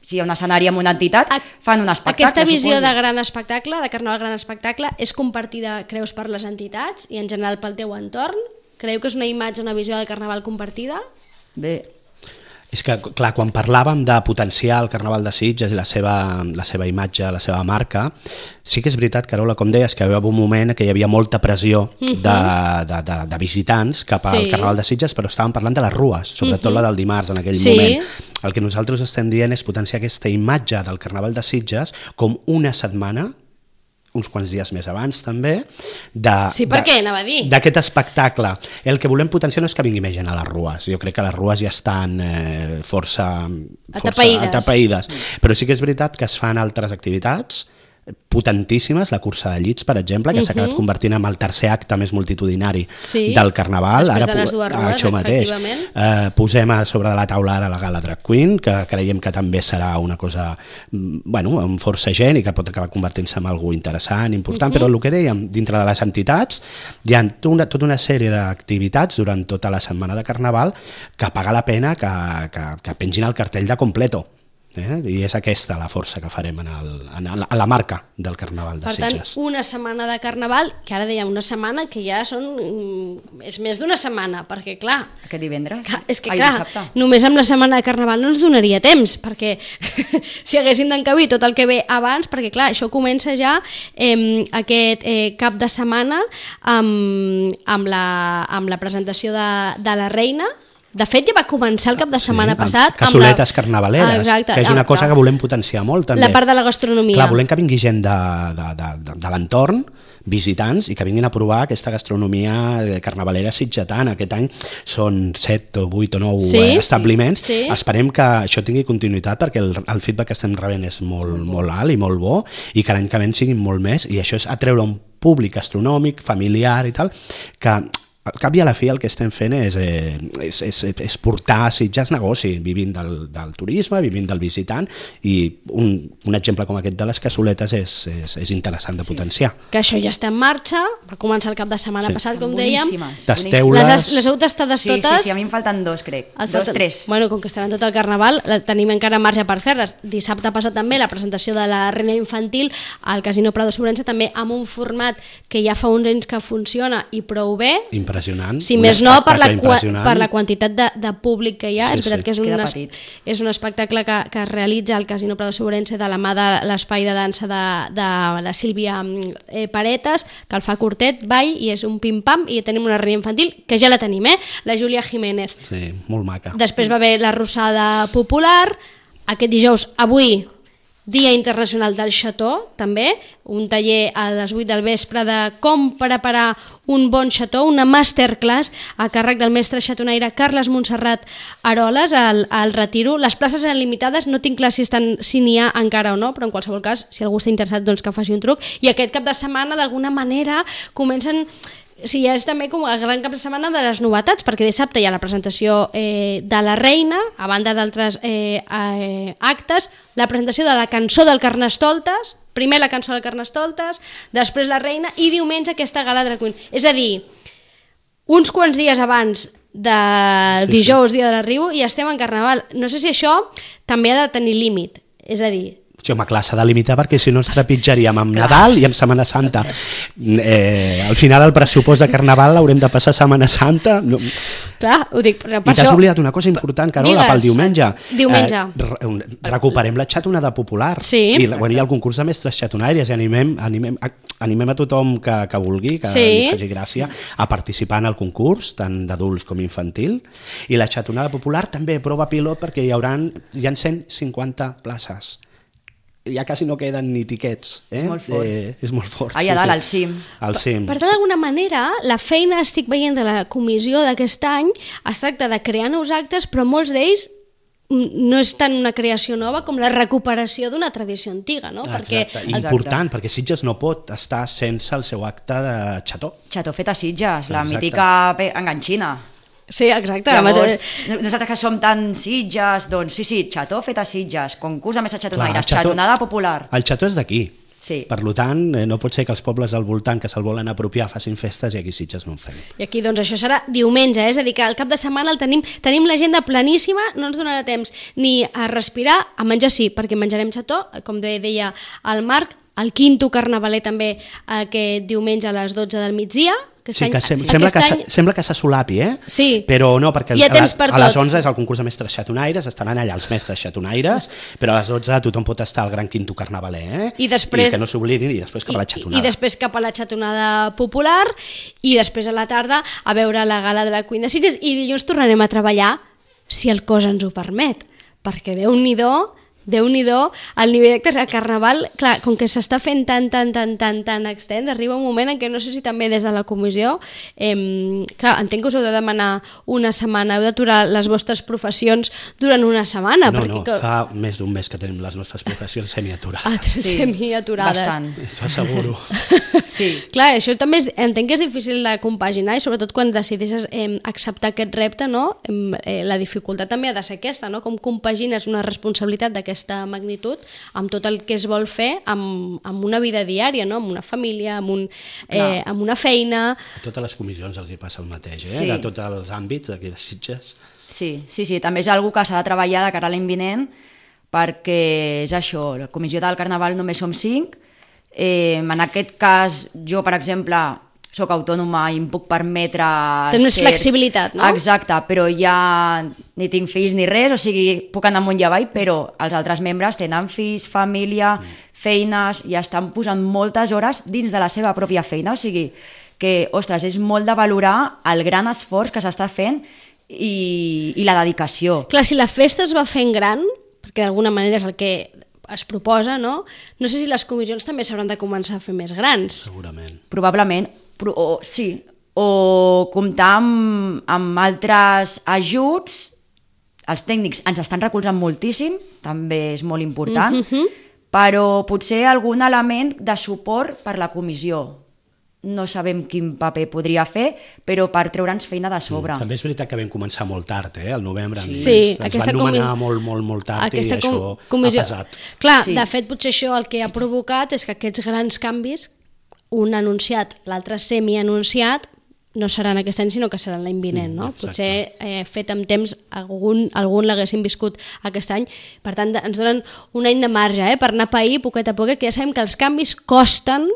Si hi ha un escenari amb una entitat, fan un espectacle. Aquesta visió suposo. de gran espectacle, de carnaval gran espectacle, és compartida, creus, per les entitats i en general pel teu entorn? Creu que és una imatge, una visió del carnaval compartida? Bé, És que, clar, quan parlàvem de potenciar el Carnaval de Sitges i la seva, la seva imatge, la seva marca, sí que és veritat, Carola, com deies, que hi havia un moment que hi havia molta pressió uh-huh. de, de, de, de visitants cap al Sí. Carnaval de Sitges, però estàvem parlant de les rues, sobretot uh-huh. la del dimarts en aquell Sí. moment. El que nosaltres estem dient és potenciar aquesta imatge del Carnaval de Sitges com una setmana, uns quants dies més abans també, de, Sí, per què? Anava a dir. d'aquest espectacle. El que volem potenciar no és que vingui més gent a les rues, jo crec que les rues ja estan eh, força, força Atapeïdes. atapeïdes, però sí que és veritat que es fan altres activitats potentíssimes, la cursa de llits, per exemple, que uh -huh. s'ha acabat convertint en el tercer acte més multitudinari sí. del Carnaval. Després ara, de les dues rues, això mateix. Eh, posem a sobre de la taula ara la Gala Drag Queen, que creiem que també serà una cosa, bueno, amb força gent i que pot acabar convertint-se en algú interessant, important, uh -huh. però el que dèiem, dintre de les entitats hi ha tota una, tota una sèrie d'activitats durant tota la setmana de Carnaval que paga la pena que, que, que pengin el cartell de completo. Eh? I és aquesta la força que farem en el, en el, a la marca del Carnaval de per Sitges. Per tant, una setmana de Carnaval, que ara dèiem una setmana que ja són... és més d'una setmana, perquè clar... Aquest divendres? Clar, és que Ai, clar, dissabte. només amb la setmana de Carnaval no ens donaria temps, perquè si haguéssim d'encabir tot el que ve abans, perquè clar, això comença ja eh, aquest eh, cap de setmana amb, amb, la, amb la presentació de, de la Reina. De fet, ja va començar el cap de setmana sí, passat. Cassoletes amb la... carnavaleres, Exacte, que és una cosa que volem potenciar molt també. La part de la gastronomia. Clar, volem que vingui gent de, de, de, de, de l'entorn, visitants, i que vinguin a provar aquesta gastronomia carnavalera sitgetana. Aquest any són set o vuit o nou sí, establiments. Sí. Esperem que això tingui continuïtat perquè el, el feedback que estem rebent és molt, molt alt i molt bo, i que l'any que ve siguin molt més, i això és atreure un públic gastronòmic, familiar i tal, que al cap i a la fi el que estem fent és, eh, és, és, és portar a Sitges negoci, vivint del, del turisme, vivint del visitant, i un, un exemple com aquest de les cassoletes és, és, és interessant de potenciar. Que això ja està en marxa, va començar el cap de setmana sí. passat, com dèiem. Tasteu-les. Les, les heu tastades sí, totes? Sí, sí, a mi em falten dos, crec. Dos, falten... tres. Bueno, com que estaran tot el Carnaval, tenim encara marge per fer-les. Dissabte passat també la presentació de la Reina Infantil al Casino Prado Sobrense, també amb un format que ja fa uns anys que funciona i prou bé. Impressionant. Si més no, per la, per la quantitat de, de públic que hi ha, sí, és veritat sí. que és un, es, és un espectacle que, que es realitza al Casino Prado Sobrense de la mà de l'espai de dansa de, de la Sílvia eh, Paretes, que el fa curtet, ball, i és un pim-pam, i tenim una reina infantil, que ja la tenim, eh? La Júlia Jiménez. Sí, molt maca. Després va haver la Rossada Popular, aquest dijous, avui, Dia Internacional del Xató, també, un taller a les vuit del vespre de com preparar un bon xató, una masterclass a càrrec del mestre xatonaire Carles Montserrat Aroles al, al Retiro. Les places eren limitades, no tinc clar si estan si n'hi ha encara o no, però en qualsevol cas, si algú està interessat, doncs que faci un truc. I aquest cap de setmana, d'alguna manera, comencen... Sí, és també com el gran cap de setmana de les novetats, perquè dissabte hi ha la presentació eh, de la Reina, a banda d'altres eh, eh, actes, la presentació de la cançó del Carnestoltes, primer la cançó del Carnestoltes, després la Reina, i diumenge aquesta gala Drag Queen. És a dir, uns quants dies abans de sí, dijous, sí. dia de l'arribo, i estem en Carnaval. No sé si això també ha de tenir límit, és a dir... Sí, home, clar, s'ha de limitar perquè si no ens trepitjaríem amb Nadal i amb Setmana Santa. Eh, al final el pressupost de Carnaval l'haurem de passar a Setmana Santa. No. Clar, ho dic, però per I t'has això... oblidat una cosa important, Carola, Digues, pel diumenge. Diumenge. Eh, recuperem la xatonada popular. Sí. I bueno, hi ha el concurs de mestres xatonaires i animem, animem, animem a tothom que, que vulgui, que sí. li faci gràcia, a participar en el concurs, tant d'adults com infantil. I la xatonada popular també prova pilot perquè hi haurà hi ha cent cinquanta places. Ja quasi no queden ni tiquets. Eh? És molt fort. Eh, és molt fort. Allà sí, dalt, sí. al cim. Al cim. Per tant, d'alguna manera, la feina, estic veient de la comissió d'aquest any, es tracta de crear nous actes, però molts d'ells no és tant una creació nova com la recuperació d'una tradició antiga, no? Exacte. Perquè... Important, Exacte. perquè Sitges no pot estar sense el seu acte de xató. Xató fet a Sitges, la Exacte. mítica enganxina. Sí, exacte. Llavors, nosaltres que som tan Sitges, doncs sí, sí, xató fet a Sitges, concurs de mestres xatonaires, xató, xatonada popular. El xató és d'aquí. Sí. Per tant, no pot ser que els pobles al voltant que se'l volen apropiar facin festes i aquí Sitges no en fem. I aquí doncs això serà diumenge, eh? És a dir que el cap de setmana el tenim, tenim l'agenda planíssima, no ens donarà temps ni a respirar, a menjar sí, perquè menjarem xató, com deia el Marc, el quinto carnavaler també aquest diumenge a les dotze del migdia. Sí, que sem sembla, que any... sembla que se solapi, eh? Sí. Però no, perquè a, les, a les onze és el concurs de mestres xatonaires, estaran allà els mestres xatonaires, però a les dotze tothom pot estar al gran quinto carnavaler, eh? I després... I que no s'oblidin, i després cap a la xatonada. I, I després cap a la xatonada popular, i després a la tarda a veure la gala de la Queen de Sitges, i dilluns tornarem a treballar, si el cos ens ho permet, perquè Déu-n'hi-do Déu-n'hi-do, el nivell d'actes al Carnaval, clar, com que s'està fent tan, tan, tan, tan, tan extens, arriba un moment en què no sé si també des de la comissió, eh, clar, entenc que us heu de demanar una setmana, heu d'aturar les vostres professions durant una setmana. No, perquè no, que... fa més d'un mes que tenim les nostres professions semiaturades. Ah, Sí, semiaturades. bastant. T'ho asseguro. Sí. Clar, això també és, entenc que és difícil de compaginar i sobretot quan decideixes eh, acceptar aquest repte, no? Eh, la dificultat també ha de ser aquesta, no? Com compagines una responsabilitat d'aquesta magnitud amb tot el que es vol fer amb, amb una vida diària, no? Amb una família, amb, un, eh, amb una feina... A totes les comissions els hi passa el mateix, eh? Sí. De tots els àmbits d'aquí de Sitges. Sí, sí, sí, també és algo que s'ha de treballar de cara a l'any vinent, perquè és això, la comissió del Carnaval només som cinc. Eh, en aquest cas, jo, per exemple, sóc autònoma i em puc permetre... Tens més ser... flexibilitat, no? Exacte, però ja ni tinc fills ni res, o sigui, puc anar amunt i avall, però els altres membres tenen fills, família, feines, i estan posant moltes hores dins de la seva pròpia feina, o sigui, que, ostres, és molt de valorar el gran esforç que s'està fent i, i la dedicació. Clar, si la festa es va fent gran, perquè d'alguna manera és el que es proposa, no? No sé si les comissions també s'hauran de començar a fer més grans. Segurament. Probablement, però, o, sí, o comptar amb, amb altres ajuts. Els tècnics ens estan recolzant moltíssim, també és molt important, Mhm. però potser algun element de suport per la comissió. No sabem quin paper podria fer, però per treure'ns feina de sobre. També és veritat que vam començar molt tard, eh? Al novembre. Sí. Ens, Sí, ens aquesta van nomenar comi- molt, molt, molt tard Aquesta i això com- comissió... ha pesat. Clar, Sí. de fet, potser això el que ha provocat és que aquests grans canvis, un anunciat, l'altre semi-anunciat, no seran aquest any, sinó que seran l'any vinent, no? exacte. Potser eh, fet amb temps algun, algun l'haguessin viscut aquest any. Per tant, ens donen un any de marge eh, per anar a pair poquet a poquet, que ja sabem que els canvis costen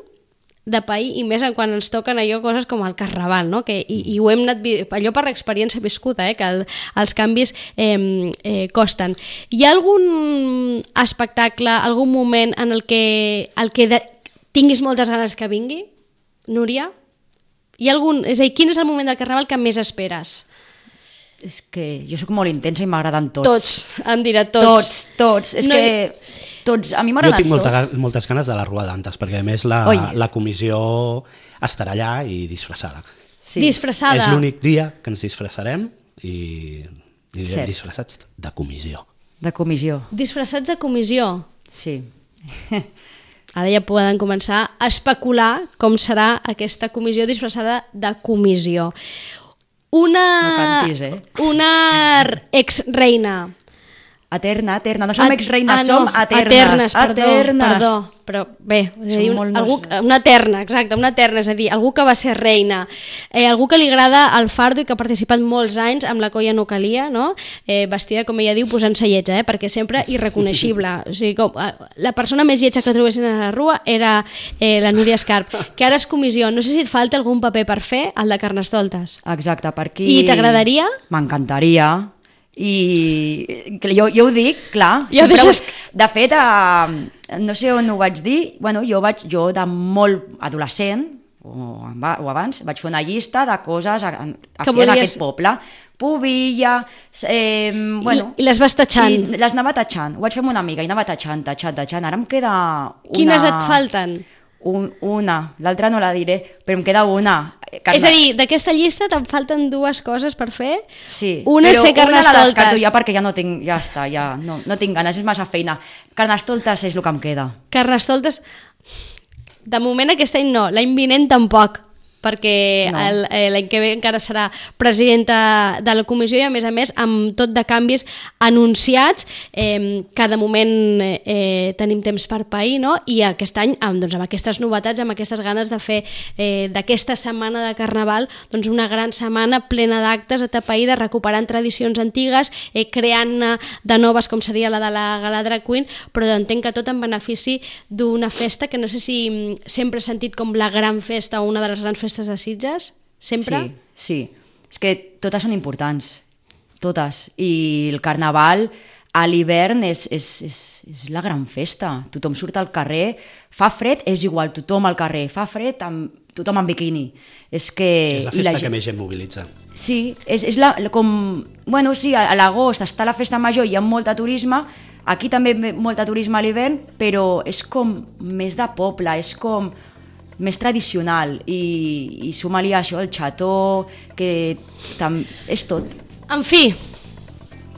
de pair, i més quan ens toquen allò coses com el Carnaval, no? Que, i, i ho hem anat, allò per experiència viscuda, eh? Que el, els canvis eh, eh, costen. Hi ha algun espectacle, algun moment en el que, el que de, tinguis moltes ganes que vingui, Núria? Hi ha algun, és a dir, quin és el moment del Carnaval que més esperes? És que jo sóc molt intensa i m'agraden tots. Tots, em dirà tots. Tots, tots. És No no, hi- que tots, a mi Jo m'agraden tinc molta, tots. ga- moltes ganes de la Rua d'Antes, perquè a més la, Oi. la comissió estarà allà i disfressada. Sí. Disfressada. És l'únic dia que ens disfressarem i anirem Cert. disfressats de comissió. De comissió, Disfressats de comissió. sí. Ara ja poden començar a especular com serà aquesta comissió disfressada de comissió. Una, No cantis, eh? una ex-reina. Eterna, eterna. No som Et- ex-reines, ah, no, som eternes. Eternes, perdó, Eternes. perdó. Però bé, és a dir, Som un, molt algú, nostres. una eterna, exacte, una eterna, és a dir, algú que va ser reina, eh, algú que li agrada el fardo i que ha participat molts anys amb la colla no calia, no? Eh, vestida, com ella diu, posant-se lletja, eh? Perquè sempre irreconeixible. O sigui, com, eh, la persona més lletja que trobessin a la Rua era eh, la Núria Escarp, que ara és comissió. No sé si et falta algun paper per fer, el de Carnestoltes. Exacte, per aquí... I t'agradaria? M'encantaria. I que jo, jo ho dic, clar. Ja ho sempre deixes- ho- De fet, eh, no sé on ho vaig dir, bueno, jo, vaig, jo de molt adolescent, o, aba- o abans, vaig fer una llista de coses a, a Que fer volies- en aquest poble. Pubilla, eh, bueno... I, I les vas tatxant. I les anava tatxant. Ho vaig fer amb una amiga i anava tatxant, tatxant, tatxant. Ara em queda una... Quines et falten? Un, una. L'altra no la diré, però em queda una. Carme- És a dir, d'aquesta llista te'n falten dues coses per fer. Sí, Una és però ser una la descarto Carnestoltes. ja perquè ja no tinc, ja està, ja no, no tinc ganes, és massa feina. Carnestoltes és el que em queda. Carnestoltes, de moment aquest any no, l'any vinent tampoc, perquè No. el- eh, l'any que ve encara serà presidenta de la comissió i a més a més amb tot de canvis anunciats, eh, que de moment eh, eh, tenim temps per pair, no? I aquest any amb, doncs, amb aquestes novetats, amb aquestes ganes de fer eh, d'aquesta setmana de Carnaval doncs una gran setmana plena d'actes a tapair, recuperant tradicions antigues, eh, creant de noves com seria la de la Gala Drag Queen, però entenc que tot en benefici d'una festa que no sé si mm, sempre he sentit com la gran festa o una de les grans festes de Sitges, sempre? Sí, sí. És que totes són importants, totes. I el Carnaval a l'hivern és, és, és, és la gran festa. Tothom surt al carrer, fa fred, és igual, tothom al carrer, fa fred, amb, tothom amb biquini. És que... És la i festa gent- que més gent mobilitza. Sí, és, és la, com... Bueno, sí, a, a l'agost està la festa major i hi ha molt de turisme, Aquí també ve molt de turisme a l'hivern, però és com més de poble, és com més tradicional i, i suma-li això, el xató, que tam... és tot. En fi,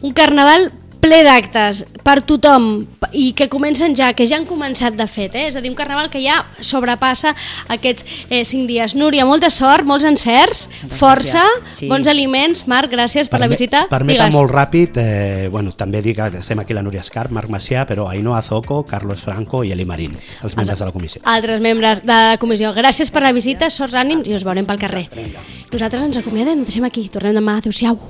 un carnaval ple d'actes per tothom i que comencen ja, que ja han començat de fet, eh? És a dir, un carnaval que ja sobrepassa aquests eh, cinc dies. Núria, molta sort, molts encerts, moltes força, sí. Bons aliments. Marc, gràcies per Perme la visita. Permeta molt ràpid, eh, bueno, també dir que estem aquí la Núria Escarp, Marc Macià, però Ainhoa Zoco, Carlos Franco i Eli Marín, els membres de la comissió. Altres membres de la comissió. Gràcies per la visita, sorts ànims i us veurem pel carrer. Nosaltres ens acomiadem, deixem aquí, tornem demà, adéu-siau.